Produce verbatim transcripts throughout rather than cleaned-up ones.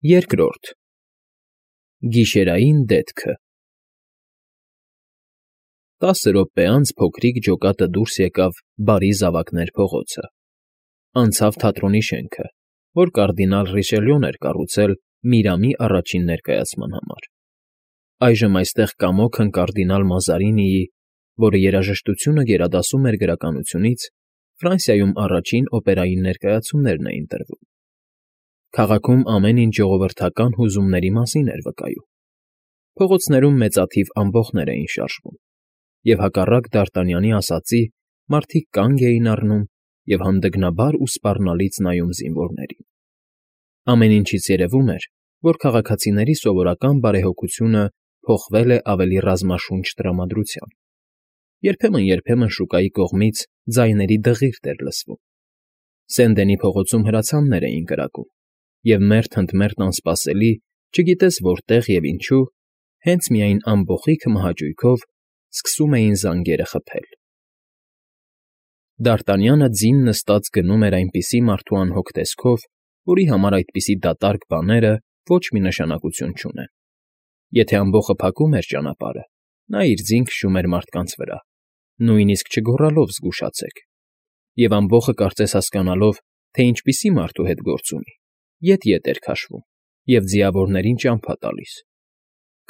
Երկրորդ Գիշերային դեթքը Տասը րոպե անց փոքրիկ ջոկատը դուրս եկավ Բարի Զավակներ փողոցը, անցավ թատրոնի շենքը, որ կարդինալ Ռիշելյուն էր կառուցել Միրամի առաջին ներկայացման համար. այժմ այստեղ կամոքն կարդինալ Մազարինիի, որը երաժշտությունը գերադասում էր գրականությունից, Ֆրանսիայում առաջին օպերային ներկայացումներն էին տրվում. քաղաքում ամեն ինչ ժողովրդական հուզումների մասին էր վկայում. փողոցներում մեծաթիվ ամբոխներ էին շարժվում, և հակառակ Դ'Արտանյանի ասածի, մարդիկ կանգ էին առնում և հանդգնաբար ու սպառնալից նայում զինվորներին. ամեն ինչից երևում էր, որ քաղաքացիների սովորական բարեհոգությունը փոխվել է ավելի ռազմաշունչ տրամադրության. երբեմն֊երբեմն շուկայի կողմից ձայների դղիրդ էր լսվում. Սեն֊Դենի փողոցում հրացաններ էին կրակում, և մերթ ընդ մերթ անսպասելի, չգիտես որտեղ և ինչու, հենց միայն ամբոխի քմահաճույքով սկսում էին զանգերը խփել։ Դ'Արտանյանը ձին նստած գնում էր այնպիսի մարդու անհոգ տեսքով, որի համար այդպիսի դատարկ բաները ոչ մի նշանակություն չունեն. եթե ամբոխը փակում էր ճանապարհը, նա իր ձին քշում էր մարդկանց վրա, նույնիսկ չգոռալով «զգուշացեք», և ամբոխը կարծես հասկանալով, թե ինչպիսի մարդու հետ գործ ունի, ետ֊ետ էր քաշվում և ձիավորներին ճամփա տալիս.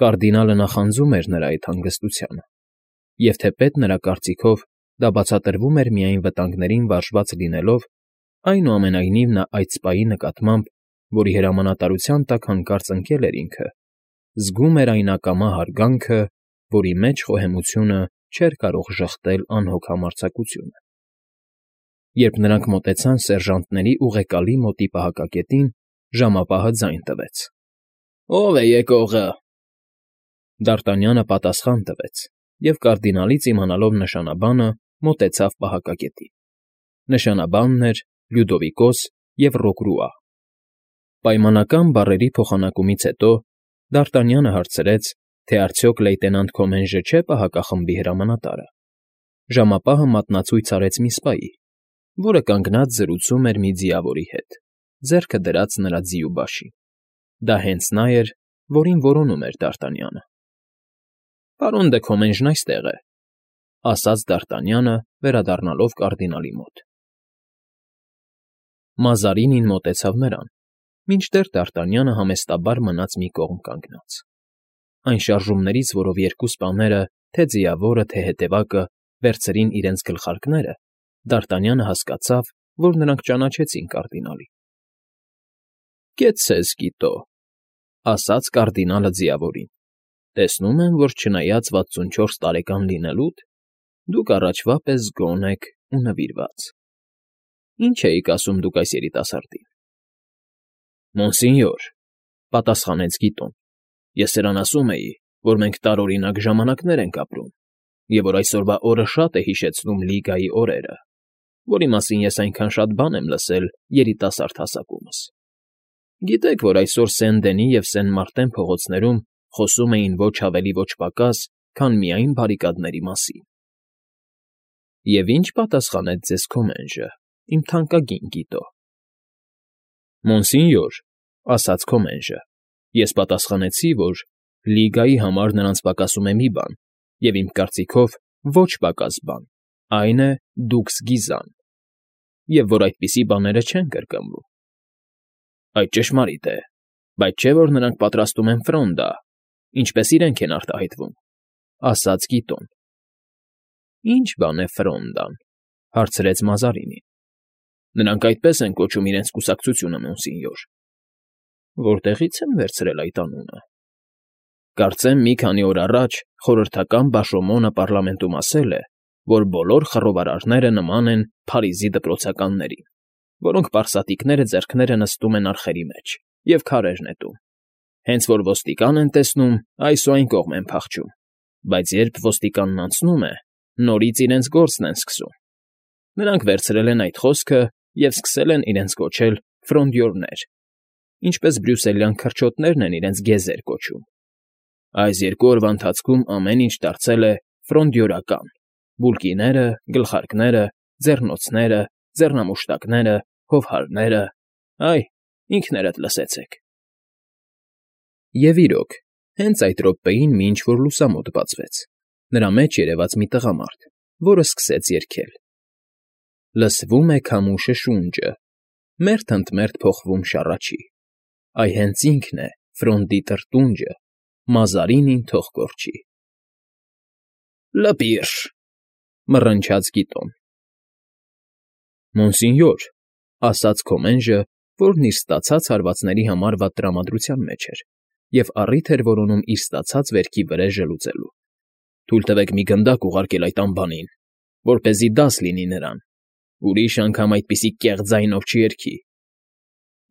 կարդինալը նախանձում էր նրա այդ հանգստությանը, և թեպետ նրա կարծիքով դա բացատրվում էր միայն վտանգներին վարժված լինելով, այնուամենայնիվ նա այդ սպայի նկատմամբ, որի հրամանատարության տակ հանկարծ ընկել էր ինքը, զգում էր այն ակամա հարգանքը, որի մեջ խոհեմությունը չէր կարող ժխտել անհոգ համարձակությունը։ Երբ նրանք մոտեցան սերժանտների ուղեկալի մոտի պահակակետին, ժամապահը ձայն տվեց. «Ո՞վ է եկողը»։ Դ'Արտանյանը պատասխան տվեց և, կարդինալից իմանալով նշանաբանը, մոտեցավ պահակակետին. նշանաբանն էր Լյուդովիկոս և Ռոկրուա։ Պայմանական բառերի փոխանակումից հետո Դ'Արտանյանը հարցրեց, թե արդյոք լեյտենանտ Քոմենժը չէ պահակախմբի հրամանատարը։ Ժամապահը մատնացույց արեց մի սպայի, որը կանգնած զրուցում էր մի ձիավորի հետ, ձեռքը դրած նրա ձիու բաշին. դա հենց նա էր, որին որոնում էր Դ'Արտանյանը։ «Պարոն դը Քոմենժն այստեղ է», ֊ ասաց Դ'Արտանյանը, վերադառնալով կարդինալի մոտ։ Մազարինին մոտեցավ նրան, մինչդեռ Դ'Արտանյանը համեստաբար մնաց մի կողմ կանգնած. այն շարժումներից, որով երկու սպաները, թե ձիավորը, թե հետևակը, վերցրին իրենց գլխարկները, Դ'Արտանյանը հասկացավ, որ նրանք ճանաչեցին կարդինալին։ «Կեցցես, Կիտո», ֊ ասաց կարդինալը ձիավորին։ «Տեսնում եմ, որ չնայած վաթսունչորս տարեկան լինելուդ, դուք առաջվա պես գոհ եք ու նվիրված։ Ի՞նչ էիք ասում դուք այս երիտասարդին»։ «Մոնսինյոր», ֊ պատասխանեց Կիտոն, «ես սրան ասում էի, որ մենք տարօրինակ ժամանակներ ենք ապրում, և որ այսօրվա օրը շատ է հիշեցնում Լիգայի օրերը, որի մասին ես այնքան շատ բան եմ լսել երիտասարդ հասակումս։ Գիտեք, որ այսօր Սեն֊Դենի և Սեն֊Մարտեն փողոցներում խոսում էին ոչ ավելի ոչ պակաս, քան միայն բարիկադների մասին»։ «Եվ ի՞նչ պատասխանեց ձեզ Քոմենժը, իմ թանկագին Կիտո»։ «Մոնսինյոր», ֊ ասաց Քոմենժը, «ես պատասխանեցի, որ Լիգայի համար նրանց պակասում է մի բան, և իմ կարծիքով ոչ պակաս բան, այն է՝ դուքս գիզան, և որ այդպիսի բաները չեն կրկնվում»։ «Այդ ճշմարիտ է, բայց չէ՞ որ նրանք պատրաստում են ֆրոնդա, ինչպես իրենք են արտահայտվում», ֊ ասաց Կիտոն։ «Ի՞նչ բան է ֆրոնդան», ֊ հարցրեց Մազարինին։ «Նրանք այդպես են կոչում իրենց կուսակցությունը, մոնսինյոր»։ «Որտեղի՞ց են վերցրել այդ անունը»։ «Կարծեմ մի քանի օր առաջ խորհրդական Բաշոմոնը պառլամենտում ասել է, որ բոլոր խռովարարները նման են Փարիզի դպրոցականներին, որոնք պարսատիկները ձեռքները նստում են արխերի մեջ և քարեր նետում, հենց որ ոստիկան են տեսնում, այս ու այն կողմ են փախչում, բայց երբ ոստիկանն անցնում է, նորից իրենց գործն են սկսում։ Նրանք վերցրել են այդ խոսքը և սկսել են իրենց կոչել ֆրոնդյորներ, ինչպես բրյուսելյան քրչոտներն են իրենց գեզեր կոչում։ Այս երկու օրվա ընթացքում ամեն ինչ դարձել է ֆրոնդյորական. բուլկիները, գլխարկները, ձեռնոցները, ձեռնամուշտակները, հովհարները, այ, ինքներդ լսեցեք»։ Եվ իրոք, հենց այդ րոպեին մի ինչ֊որ լուսամուտ բացվեց, նրա մեջ երևաց մի տղամարդ, որը սկսեց երգել. Լսվում է քամուշը շունջը, մերթ ընդ մերթ փոխվում շառաչի, այ հենց ինքն է, Ֆրոնդի տրտունջը, Մազարինին թող կորչի։ Լպիրշ, մռնչաց Գիտոն։ Մոնսինյոր, ասաց Քոմենժը, որն իր ստացած հարվածների համար վատ տրամադրության մեջ էր և առիթ էր որոնում իր ստացած վերքի վրեժը լուծելու։ Թույլ տվեք մի գնդակ ուղարկել այդ անբանին, որպեսզի դաս լինի նրան, ուրիշ անգամ այդպիսի կեղծ ձայնով չերգի։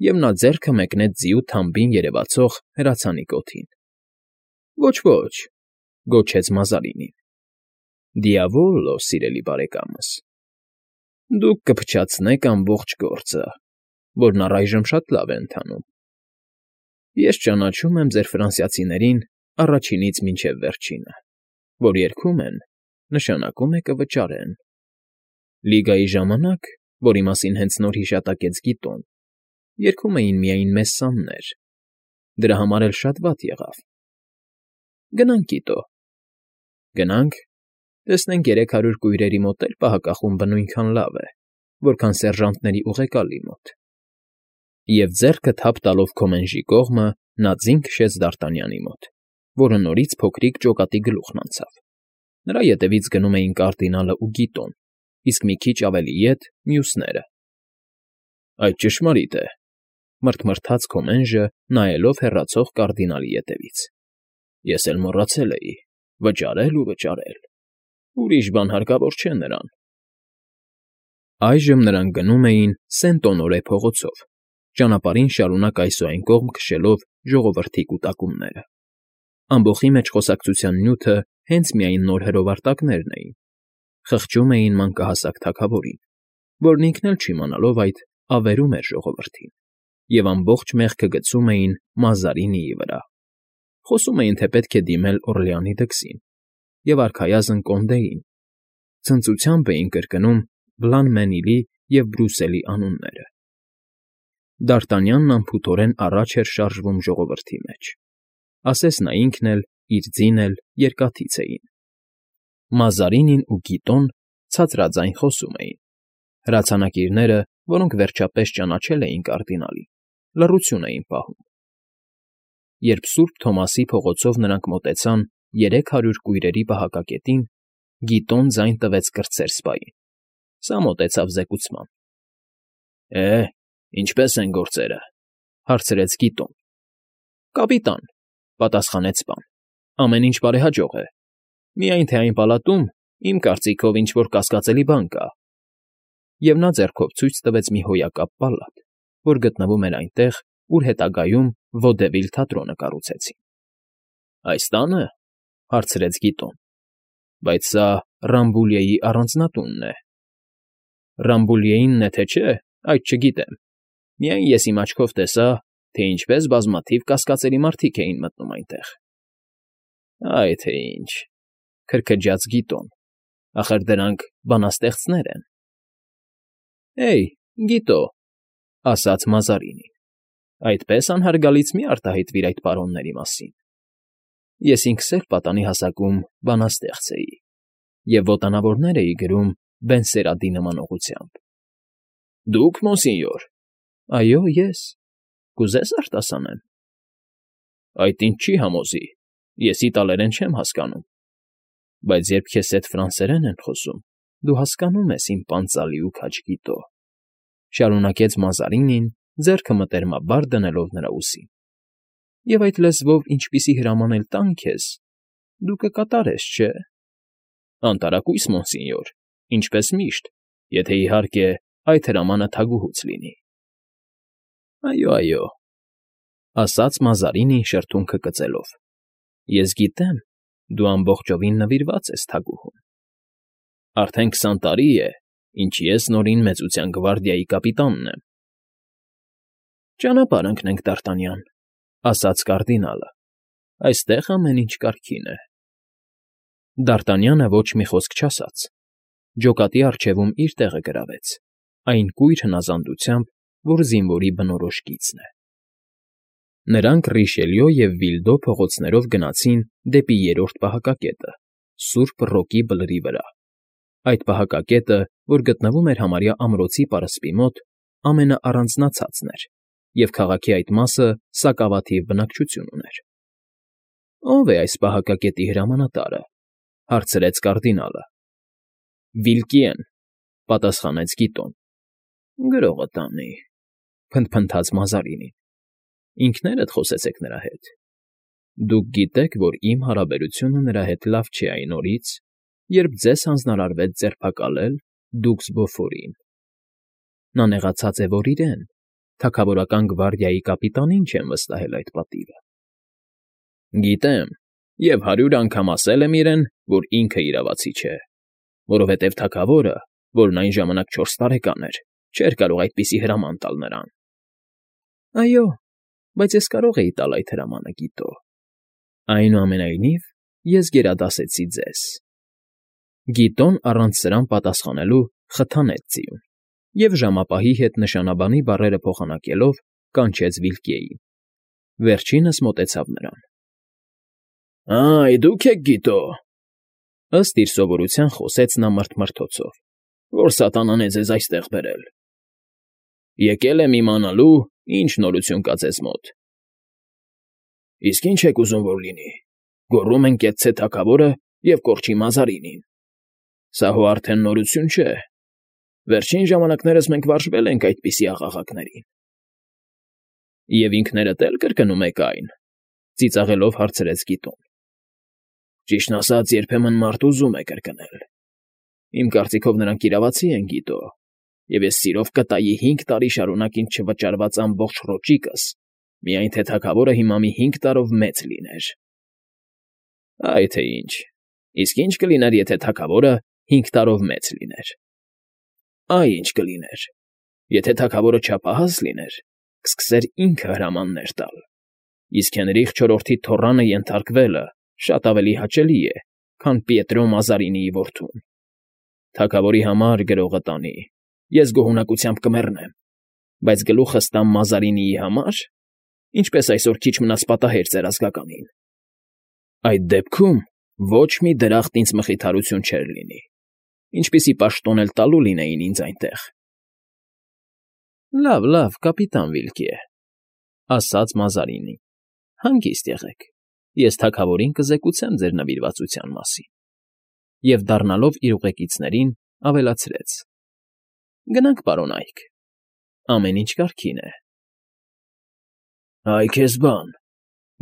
Եվ նա ձեռքը մեկնեց ձիու թամբին երևացող հրացանի կոթին։ Ոչ, ոչ, գոչեց Մազարինին։ Դիավոլո, սիրելի բարեկամս, դուք կփչացնեք ամբողջ գործը, որն առայժմ շատ լավ է ընթանում։ Ես ճանաչում եմ ձեր ֆրանսիացիներին առաջինից մինչև վերջինը, որ երգում են, նշանակում է կվճարեն։ Լիգայի ժամանակ, որի մասին հենց նոր հիշատակեց Գիտոն, երգում էին միայն մեծ սաններ, դրա համար էլ շատ վատ եղավ։ Գնանք, Կիտո։ Գնանք, տեսնենք երեք հարյուր կույրերի մոտ էլ պահակախումբը նույնքան լավ է, որքան սերժանտների ուղեկալի մոտ։ Եվ ձեռքը թափ տալով Քոմենժի կողմը, նա ձին քշեց Դարտանյանի մոտ, որը նորից փոքրիկ ջոկատի գլուխն անցավ։ Նրա ետևից գնում էին կարդինալը ու Գիտոն, իսկ մի քիչ ավելի ետ՝ մյուսները։ Այդ ճշմարիտ է, մռթմռթաց Քոմենժը, նայելով հեռացող կարդինալի ետևից։ Ես էլ մոռացել էի, վճարել ու վճարել։ Ուրիշ բան հարկավոր չէ նրան։ Այժմ նրանք գնում էին Սենտ֊Օնորե փողոցով, ճանապարհին շարունակ այսուայն կողմ քշելով ժողովրդի կուտակումները։ Ամբոխի մեջ խոսակցության նյութը հենց միայն նոր հրովարտակներն էին, խղճում էին մանկահասակ թագավորին, որն ինքն էլ չիմանալով այդ ավերում էր ժողովրդին, և ամբողջ մեղքը գցում էին Մազարինիի վրա։ Խոսում էին, թե պետք է դիմել Օռլեանի դքսին և արքայազն կոնդեին, ցնծությամբ էին կրկնում Բլան֊Մենիլի և Բրուսելի անունները։ Դարտանյանն անփութորեն առաջ էր շարժվում ժողովրդի մեջ, ասես նա ինքն էլ, իր ձին էլ երկաթից էին։ Մազարինին ու Գիտոն ցածրաձայն խոսում էին։ Հրացանակիրները, որոնք վերջապես ճանաչել էին կարդինալին, լռություն էին պահում։ Երբ Սուրբ Թոմասի փողոցով նրանք մոտեցան երեք հարյուր կույրերի պահակակետին, Գիտոն ձայն տվեց կրտսեր սպային։ Սա մոտեցավ զեկուցման։ Է, ինչպե՞ս են գործերը,֊ հարցրեց Գիտոն։ Կապիտան,֊ պատասխանեց սպան,֊ ամեն ինչ բարեհաջող է։ Միայն թե այն պալատում, իմ կարծիքով, ինչ֊որ կասկածելի բան կա։ Եվ նա ձեռքով ցույց տվեց մի հոյակապ պալատ, որ գտնվում էր այնտեղ, ուր հետագայում Վոդևիլ թատրոնը կառուցեցին։ Այս տա՞նը,֊ հարցրեց Գիտոն։ Բայց սա Ռամբուլիեի առանձնատունն է։ Ռամբուլիեինն է, թե չէ, այդ չգիտեմ։ Միայն ես իմ աչքով տեսա, թե ինչպես բազմաթիվ կասկածելի մարդիկ էին մտնում այնտեղ։ Այ թե ինչ,֊ քրքջաց Գիտոն,֊ ախր դրանք բանաստեղծներ են։ Էյ, Գիտո,֊ ասաց Մազարինին,֊ այդպես անհարգալից մի արտահայտվիր այդ պարոնների մասին։ Ես ինքս էլ պատանի հասակում բանաստեղծ էի և ոտանավորներ էի գրում Բենսերադի նմանողությամբ։ Դուք, մոնսինյոր։ Այո, ես։ Կուզես արտասանեմ։ Այդ ինձ չի համոզի, ես իտալերեն չեմ հասկանում։ Բայց երբ քեզ հետ ֆրանսերեն են խոսում, դու հասկանում ես, իմ պանծալի ու քաջ Գիտո,֊ շարունակեց Մազարինին, ձեռքը մտերմաբար դնելով նրա ուսին։ Եվ այդ լեզվով ինչպիսի հրաման էլ տան քեզ, դու կկատարես, չէ՞։ Անտարակույս, մոնսինյոր, ինչպես միշտ, եթե, իհարկե, այդ հրամանը թագուհուց լինի։ Այո, այո,֊ ասաց Մազարինին շրթունքը կծելով։ Ես գիտեմ, դու ամբողջովին նվիրված ես թագուհուն։ Արդեն քսան տարի է, ինչ ես նորին մեծության գվարդիայի կապիտանն եմ։ Ճանապարհ ընկնենք, Դարտանյան,֊ ասաց կարդինալը։ Այստեղ ամեն ինչ կարգին է։ Դարտանյանը ոչ մի խոսք չասաց։ Ջոկատի առջևում իր տեղը գրավեց, այն կույր հնազանդությամբ, որ զինվորի բնորոշ գիծն է։ Նրանք Ռիշելյո և Վիլդո փողոցներով գնացին դեպի երրորդ պահակակետը՝ Սուրբ Ռոկի բլրի վրա. այդ պահակակետը, որ գտնվում էր համարյա ամրոցի պարսպի մոտ, ամենաառանձնացածն էր, և քաղաքի այդ մասը սակավաթիվ բնակչություն ուներ։ ֊ Ո՞վ է այս պահակակետի հրամանատարը,֊ հարցրեց կարդինալը։ ֊ Վիլկիեն,֊ պատասխանեց Գիտոն։ ֊ Գրողը տանի,֊ փնթփնթաց Մազարինին։ ֊ Ինքներդ խոսեցեք նրա հետ։ Դուք գիտեք, որ իմ հարաբերությունը նրա հետ լավ չէ այն օրից, երբ ձեզ հանձնարարվեց ձերբակալել դուքս Բոֆորին. նա նեղացած է, որ իրեն, թագավորական գվարդիայի կապիտանին չեն վստահել այդ պատիվը։ ֊ Գիտեմ, և հարյուր անգամ ասել եմ իրեն, որ ինքը իրավացի չէ, որովհետև թագավորը, որն այն ժամանակ չորս տարեկան էր, չէր կարող այդպիսի հրաման տալ նրան։ ֊ Այո, բայց ես կարող էի տալ այդ հրամանը, Գիտո։ Այնուամենայնիվ, ես գերադասեցի ձեզ։ Գիտոն առանց սրան պատասխանելու խթանեց ձիուն և ժամապահի հետ նշանաբանի բառերը փոխանակելով կանչեց Վիլկիեին։ Վերջինս մոտեցավ նրան։ ֊ Այ, դուք եք Գիտո,֊ ըստ իր սովորության խոսեց նա մռթմռթոցով,֊ որ սատանան է ձեզ այստեղ բերել։ Եկել եմ իմանալու, ինչ նորություն կա ձեզ մոտ։ ֊ Իսկ ի՞նչ եք ուզում, որ լինի, գոռում են կեցցե թագավորը և կորչի Մազարինին։ Սա հո արդեն նորություն չէ։ Վերջին ժամանակներս մենք վարժվել ենք այդպիսի աղաղակներին։ ֊ Եվ ինքներդ էլ կրկնում եք այն,֊ ծիծաղելով հարցրեց Գիտոն։ ֊ Ճիշտն ասած, երբեմն մարդ ուզում է կրկնել։ Իմ կարծիքով նրանք իրավացի են, Գիտո, և ես սիրով կտայի հինգ տարի շարունակ ինձ չվճարված ամբողջ ռոճիկս, միայն թե թագավորը հիմա մի հինգ տարով մեծ լիներ։ ֊ Այ թե ինչ, իսկ ի՞նչ կլիներ, եթե թագավորը հինգ տարով մեծ լիներ։ ֊ Այ ինչ կլիներ, եթե թագավորը չափահաս լիներ, կսկսեր ինքը հրամաններ տալ, իսկ Հենրիխ չորրորդի թոռանը ենթարկվելը շատ ավելի հաճելի է, քան Պիետրո Մազարինիի որդուն։ Թագավորի համար գրողը տանի, ես գոհունակությամբ կմեռնեմ, բայց գլուխս տամ Մազարինիի համար, ինչպես այսօր քիչ մնաց պատահեր ձեր ազգականին։ Այդ դեպքում ոչ մի դրախտ ինձ մխիթարություն չէր լինի, ինչպիսի պաշտոն էլ տալու լինեին ինձ այնտեղ։ ֊ Լավ, լավ, կապիտան Վիլկիե,֊ ասաց Մազարինին,֊ հանգիստ եղեք, ես թագավորին կզեկուցեմ ձեր նվիրվածության մասին։ Եվ դառնալով իր ուղեկիցներին ավելացրեց. գնանք, պարոն Այք, ամեն ինչ կարգին է։ ֊ Այ քեզ բան,֊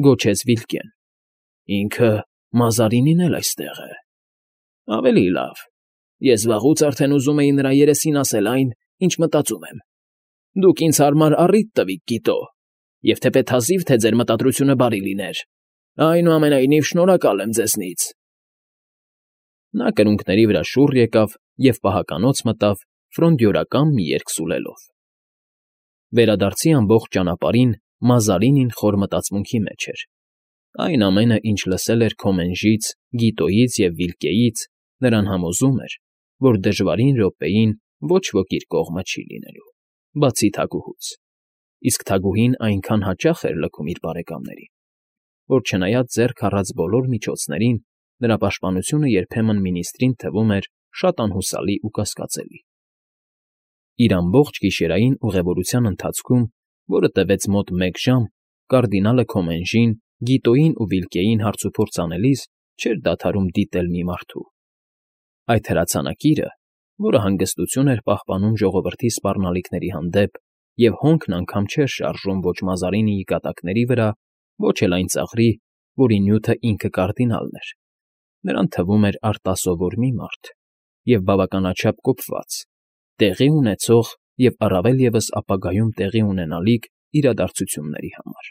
գոչեց Վիլկիեն,֊ ինքը Մազարինին էլ այստեղ է։ ֊ Ավելի լավ, ես վաղուց արդեն ուզում էի նրա երեսին ասել այն, ինչ մտածում եմ։ Դուք ինձ հարմար առիթ տվիք, Գիտո, և թեպետ հազիվ թե ձեր մտադրությունը բարի լիներ, այնուամենայնիվ շնորհակալ եմ ձեզնից։ Նա կրունկների վրա շուռ եկավ և պահականոց մտավ ֆրոնդյորական մի երգ սուլելով։ Վերադարձի ամբողջ ճանապարհին Մազարինին խոր մտածմունքի մեջ էր։ Այն ամենը, ինչ լսել էր Քոմենժից, Գիտոյից և Վիլկիեից, նրան համոզում էր, որ դժվարին րոպեին ոչ ոք իր կողմը չի լինելու, բացի թագուհուց, իսկ թագուհին այնքան հաճախ էր լքում իր բարեկամներին, որ չնայած ձեռք առած բոլոր միջոցներին, նրա պաշտպանությունը երբեմն մինիստրին թվում էր շատ անհուսալի ու կասկածելի։ Իր ամբողջ գիշերային ուղևորության ընթացքում, որը տևեց մոտ մեկ ժամ, կարդինալը Քոմենժին, Գիտոյին ու Վիլկիեին հարցուփորձ անելիս չէր դադարում դիտել մի մարդու։ Այդ հրացանակիրը, որը հանգստություն էր պահպանում ժողովրդի սպառնալիքների հանդեպ և հոնքն անգամ չէր շարժում ոչ Մազարինիի կատակների վրա, ոչ էլ այն ծաղրի, որի նյութը ինքը կարդինալն էր, նրան թվում էր արտասովոր մի մարդ և բավականաչափ կոպված, տեղի ունեցող և առավել ևս ապագայում տեղի ունենալիք իրադարձությունների համար։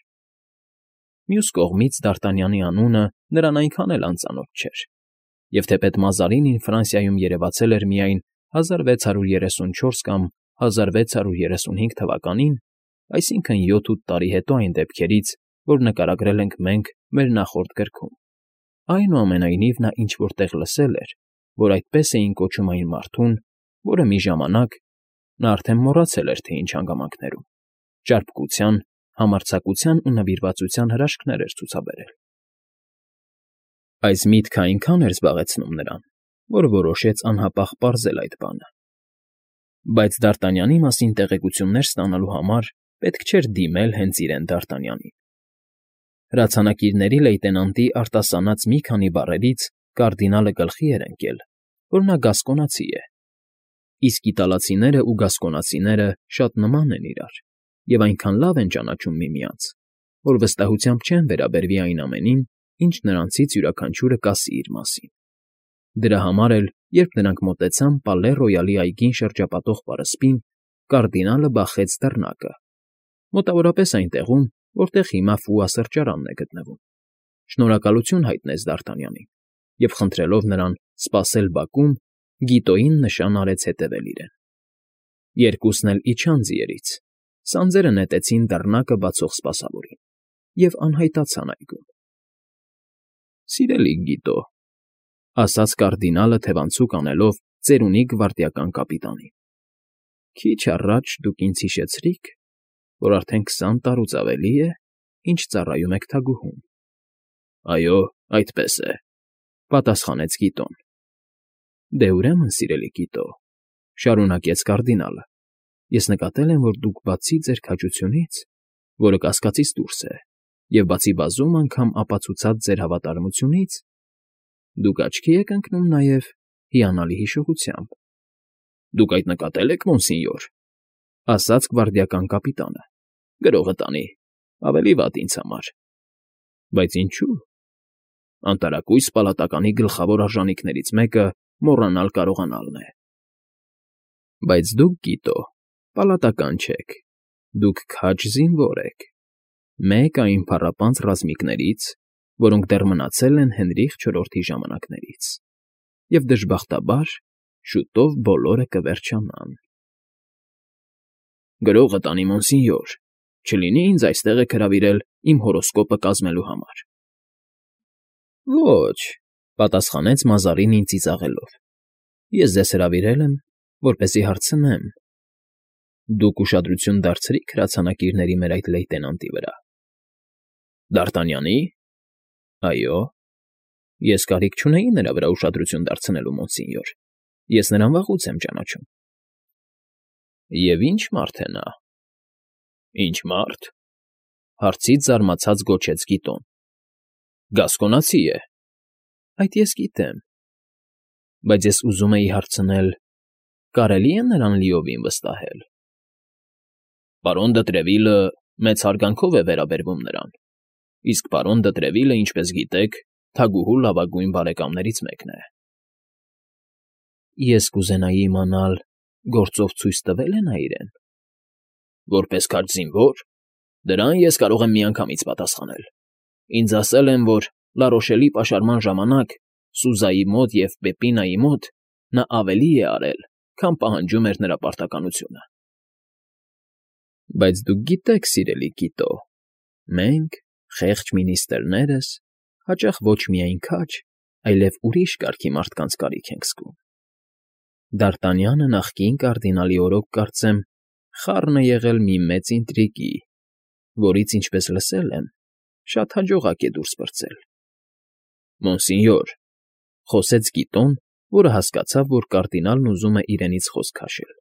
Մյուս կողմից Դ'Արտանյանի անունը նրան այնքան էլ անծանոթ չէր, և թեպետ Մազարինին Ֆրանսիայում երևացել էր միայն հազար վեց հարյուր երեսունչորս կամ հազար վեց հարյուր երեսունհինգ թվականին, այսինքն յոթ֊ութ տարի հետո այն դեպքերից, որ նկարագրել ենք մենք մեր նախորդ գրքում։ Այնուամենայնիվ նա ինչ֊որ տեղ լսել էր, որ այդպես էին կոչում այն մարդուն, որը մի ժամանակ (նա արդեն մոռացել էր, թե ինչ հանգամանքներում) ճարպկության համարձակության ու նվիրվածության հրաշքներ էր ցուցաբերել։ Այս միտքը այնքան էր զբաղեցնում նրան, որ որոշեց անհապաղ պարզել այդ բանը։ Բայց Դ'Արտանյանի մասին տեղեկություններ ստանալու համար պետք չէր դիմել հենց իրեն Դ'Արտանյանին։ Հրացանակիրների լեյտենանտի արտասանած մի քանի բառերից կարդինալը գլխի էր ընկել, որ նա գասկոնացի է, իսկ իտալացիներն ու գասկոնացիները շատ նման են իրար և այնքան լավ են ճանաչում միմյանց, որ վստահությամբ չեն վերաբերվի այն ամենին, ինչ նրանցից յուրաքանչյուրը կասի իր մասին։ Դրա համար էլ, երբ նրանք մոտեցան Պալե Ռոյալի այգին շրջապատող պարսպին, կարդինալը բախեց դռնակը, մոտավորապես այն տեղում, որտեղ հիմա Ֆուա սրճարանն է գտնվում, շնորհակալություն հայտնեց Դ'Արտանյանին և, խնդրելով նրան սպասել բակում, Գիտոյին նշան արեց հետևել իրեն։ Երկուսն էլ իջան ձիերից, սանձերը նետեցին դռնակը բացող սպասավորին և անհայտացան այգում։ ֊ Սիրելի Գիտո,֊ ասաց կարդինալը թևանցուկ անելով ծերունի գվարդիական կապիտանին,֊ քիչ առաջ դուք ինձ հիշեցրիք, որ արդեն քսան տարուց ավելի է, ինչ ծառայում եք թագուհուն։ ֊ Այո, այդպես է,֊ պատասխանեց Գիտոն։ ֊ Դե ուրեմն, սիրելի Գիտո,֊ շարունակեց կարդինալը,֊ ես նկատել եմ, որ դուք բացի ձեր քաջությունից, որը կասկածից դուրս է, և բացի բազում անգամ ապացուցած ձեր հավատարմությունից, դուք աչքի եք ընկնում նաև հիանալի հիշողությամբ։ ֊ Դուք այդ նկատել եք, մոնսինյոր,֊ ասաց գվարդիական կապիտանը,֊ գրողը տանի, ավելի վատ ինձ համար։ ֊ Բայց ինչո՞ւ։ Անտարակույս պալատականի գլխավոր արժանիքներից մեկը մոռանալ կարողանալն է։ ֊ Բայց դուք, Գիտո, պալատական չեք, դուք քաջ զինվոր եք, մեկ այն փառապանծ ռազմիկներից, որոնք դեռ մնացել են Հենրիխ չորրորդի ժամանակներից, և, դժբախտաբար, շուտով բոլորը կվերջանան։ ֊ Գրողը տանի, մոնսինյոր, չլինի ինձ այստեղ եք հրավիրել իմ հորոսկոպը կազմելու համար։ ֊ Ոչ,֊ պատասխանեց Մազարինին ծիծաղելով,֊ ես ձեզ հրավիրել եմ, որպեսզի հարցնեմ. դուք ուշադրություն դարձրի՞ք հրացանակիրների մեր այդ լեյտենանտի վրա։ ֊ Դ'Արտանյանի՞։ ֊ Այո։ ֊ Ես կարիք չունեի նրա վրա ուշադրություն դարձնելու, մոնսինյոր, ես նրան վաղուց եմ ճանաչում։ ֊ Եվ ի՞նչ մարդ է նա։ ֊ Ի՞նչ մարդ,֊ հարցից զարմացած գոչեց Գիտոն։ ֊ Գասկոնացի է։ ֊ Այդ ես գիտեմ, բայց ես ուզում էի հարցնել. կարելի՞ է նրան լիովին վստահել։ ֊ Պարոն դը Տրևիլը մեծ հարգանքով է վերաբերվում նրան, իսկ պարոն դը Տրևիլը, ինչպես գիտեք, թագուհու լավագույն բարեկամներից մեկն է։ ֊ Ես կուզենայի իմանալ, գործով ցույց տվե՞լ է նա իրեն։ ֊ Որպես քաջ զինվո՞ր։ Դրան ես կարող եմ միանգամից պատասխանել։ Ինձ ասել են, որ Լարոշելի պաշարման ժամանակ Սուզայի մոտ և Պեպինայի մոտ նա ավելի է արել, քան պահանջում էր նրա պարտականությունը։ ֊ Բայց դուք գիտեք, սիրելի Գիտո, մենք, խեղճ մինիստրներս, հաճախ ոչ միայն քաջ, այլև ուրիշ կարգի մարդկանց կարիք ենք զգում։ Դ'Արտանյանը նախկին կարդինալի օրոք, կարծեմ, խառն է եղել մի մեծ ինտրիգի, որից, ինչպես լսել եմ, շատ հաջողակ է դուրս պրծել։ ֊ Մոնսինյոր,֊ խոսեց Գիտոն, որը հասկացավ, որ կարդինալն ուզում է իրենից խոսք քաշել,֊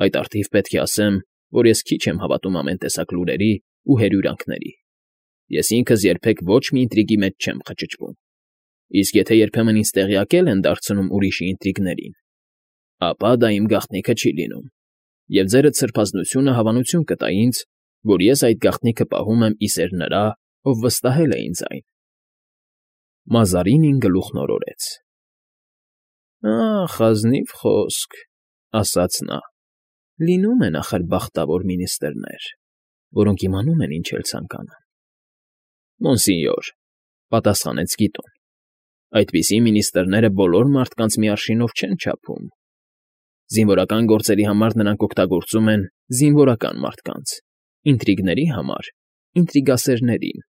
այդ առթիվ պետք է ասեմ, որ ես քիչ եմ հավատում ամեն տեսակ լուրերի ու հրյուրանքների։ Ես ինքս երբեք ոչ մի ինտրիգի մեջ չեմ խճճվում, իսկ եթե երբեմն ինձ տեղյակել են դարձնում ուրիշի ինտրիգներին, ապա դա իմ գաղտնիքը չի լինում, և ձերդ սրբազնությունը հավանություն կտա ինձ, որ ես այդ գաղտնիքը պահում եմ ի սեր նրա, ով վստահել է ինձ այն։ Մազարինին գլուխն օրորեց։ ֊ Ախ, ազնիվ խոսք,֊ ասաց նա,֊ լինում են, ախր, բախտավոր մինիստրներ, որոնք իմանում են ինչ էլ ցանկանան։ ֊ Մոնսինյոր,֊ պատասխանեց Գիտոն,֊ այդպիսի մինիստրները բոլոր մարդկանց մի արշինով չեն չափում։ Զինվորական գործերի համար նրանք օգտագործում են զինվորական մարդկանց, ինտրիգների համար՝ ինտրիգասերներին։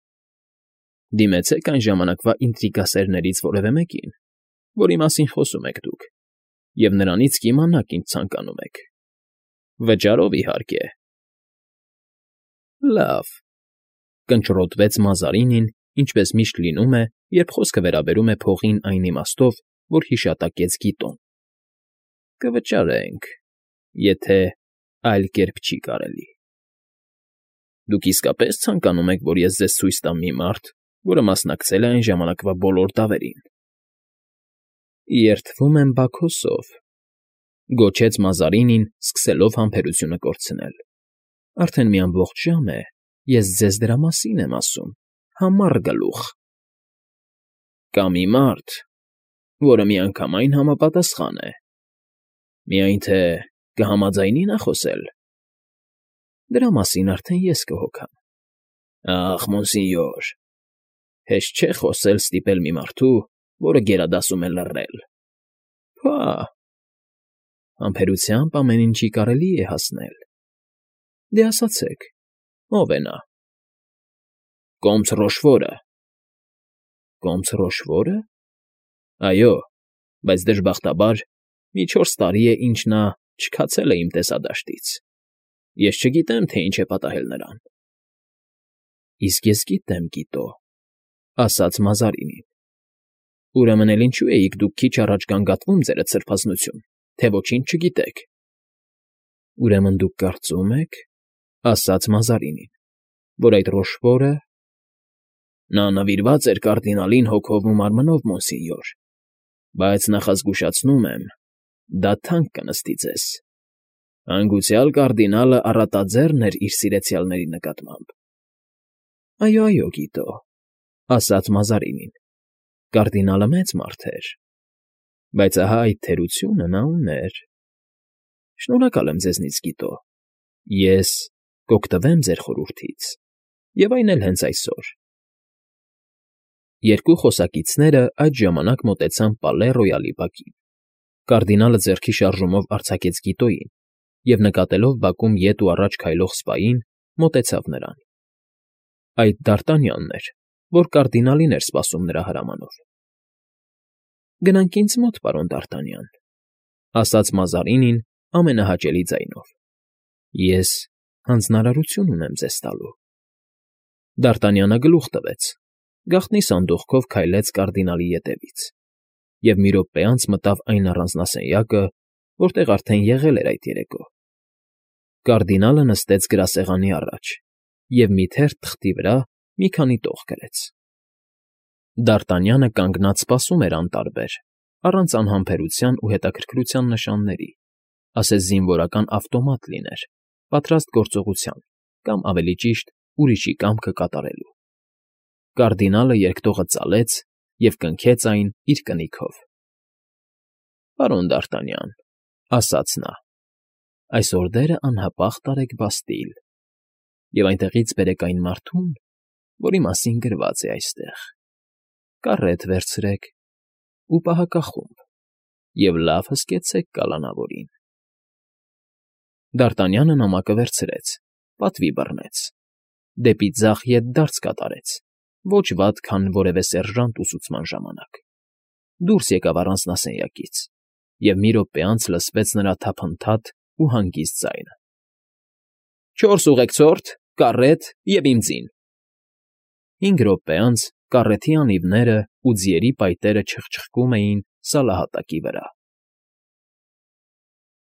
Դիմեցեք այն ժամանակվա ինտրիգասերներից որևէ մեկին, որի մասին խոսում եք դուք, և նրանից կիմանաք ինչ ցանկանում եք։ Վճարով, իհարկե։ ֊ Լավ,֊ կնճռոտվեց Մազարինին, ինչպես միշտ լինում է, երբ խոսքը վերաբերում է փողին այն իմաստով, որ հիշատակեց Գիտոն։֊ Կվճարենք, եթե այլ կերպ չի կարելի։ Դուք իսկապես ցանկանում եք, որ ես ձեզ ցույց տամ մի մարդ, որը մասնակցել է այն ժամանակվա բոլոր դավերին։ ֊ Երդվում եմ Բաքոսով,֊ գոչեց Մազարինին, սկսելով համբերությունը կորցնել։֊ Արդեն մի ամբողջ ժամ է, ես ձեզ դրա մասին եմ ասում, համառ գլուխ։ ֊ Կա մի մարդ, որը միանգամայն համապատասխան է, միայն թե կհամաձայնի՞ նա խոսել։ ֊ Դրա մասին արդեն ես կհոգամ։ ֊ Ախ, մոնսինյոր, հեշտ չէ խոսել ստիպել մի մարդու, որը գերադասում է լռել։ ֊ Փա՜… Համբերությամբ ամեն ինչի կարելի է հասնել։ Դե ասացեք, ո՞վ է նա։ ֊ Կոմս Ռոշֆորը։ ֊ Կոմս Ռոշֆո՞րը։ ֊ Այո, բայց դժբախտաբար մի չորս տարի է, ինչ նա չքացել է իմ տեսադաշտից, ես չգիտեմ, թե ինչ է պատահել նրան։ ֊ Իսկ ես գիտեմ, Գիտո,֊ ասաց Մազարինին։ ֊ Ուրեմն էլ ինչո՞ւ էիք դուք քիչ առաջ գանգատվում, ձերդ սրբազնություն, թե ոչինչ չգիտեք։ ֊ Ուրեմն դուք կարծում եք,֊ ասաց Մազարինին,֊ որ այդ Ռոշֆորը… ֊ Նա նվիրված էր կարդինալին հոգով ու մարմնով, մոնսինյոր, բայց նախազգուշացնում եմ, դա թանկ կնստի ձեզ. հանգուցյալ կարդինալը առատաձեռն էր իր սիրեցյալների նկատմամբ։ ֊ Այո, այո, Գիտո,֊ ասաց Մազարինին,֊ կարդինալը մեծ մարդ էր, բայց ահա այդ թերությունը նա ուներ։ Շնորհակալ եմ ձեզնից, Գիտո, ես կօգտվեմ ձեր խորհրդից, և այն էլ հենց այսօր։ Երկու խոսակիցները այդ ժամանակ մոտեցան Պալե Ռոյալի բակին։ Կարդինալը ձեռքի շարժումով արձակեց Գիտոյին և, նկատելով բակում ետ ու առաջ քայլող սպային, մոտեցավ նրան։ Այդ Դարտանյանն էր, որ կարդինալին էր սպասում նրա հրամանով։ ֊ Գնանք ինձ մոտ, պարոն Դարտանյան,֊ ասաց Մազարինին ամենահաճելի ձայնով,֊ ես հանձնարարություն ունեմ ձեզ տալու։ Դարտանյանը գլուխ տվեց, գաղտնի սանդուղքով քայլեց կարդինալի ետևից և մի րոպե անց մտավ այն առանձնասենյակը, որտեղ արդեն եղել էր այդ երեկո։ Կարդինալը նստեց գրասեղանի առաջ և մի թերթ թղթի վրա մի քանի տող գրեց։ Դարտանյանը կանգնած սպասում էր անտարբեր, առանց անհամբերության ու հետաքրքրության նշանների, ասես զինվորական ավտոմատ լիներ, պատրաստ գործողության կամ, ավելի ճիշտ, ուրիշի կամքը կատարելու։ Կարդինալը երկտողը ծալեց և կնքեց այն իր կնիքով։ ֊ Պարոն Դարտանյան,֊ ասաց նա,֊ այս օրդերը անհապաղ տարեք Բաստիլ և այնտեղից բերեք այն մարդուն, որի մասին գրված է այստեղ, կառետ վերցրեք ու պահակախումբ և լավ հսկեցեք կալանավորին։ Դարտանյանը նամակը վերցրեց, պատվի բռնեց, դեպի ձախ ետդարձ կատարեց, ոչ վատ, քան որևէ սերժանտ ուսուցման ժամանակ, դուրս եկավ առանձնասենյակից, և մի րոպե անց լսվեց նրա թափնթադ ու հանգիստ ձայնը. «Չորս ուղեկցորդ, կառետ և իմ ձին»։ Հինգ րոպե անց կառեթի անիվներն ու ձիերի պայտերը չխչխկում էին սալահատակի վրա։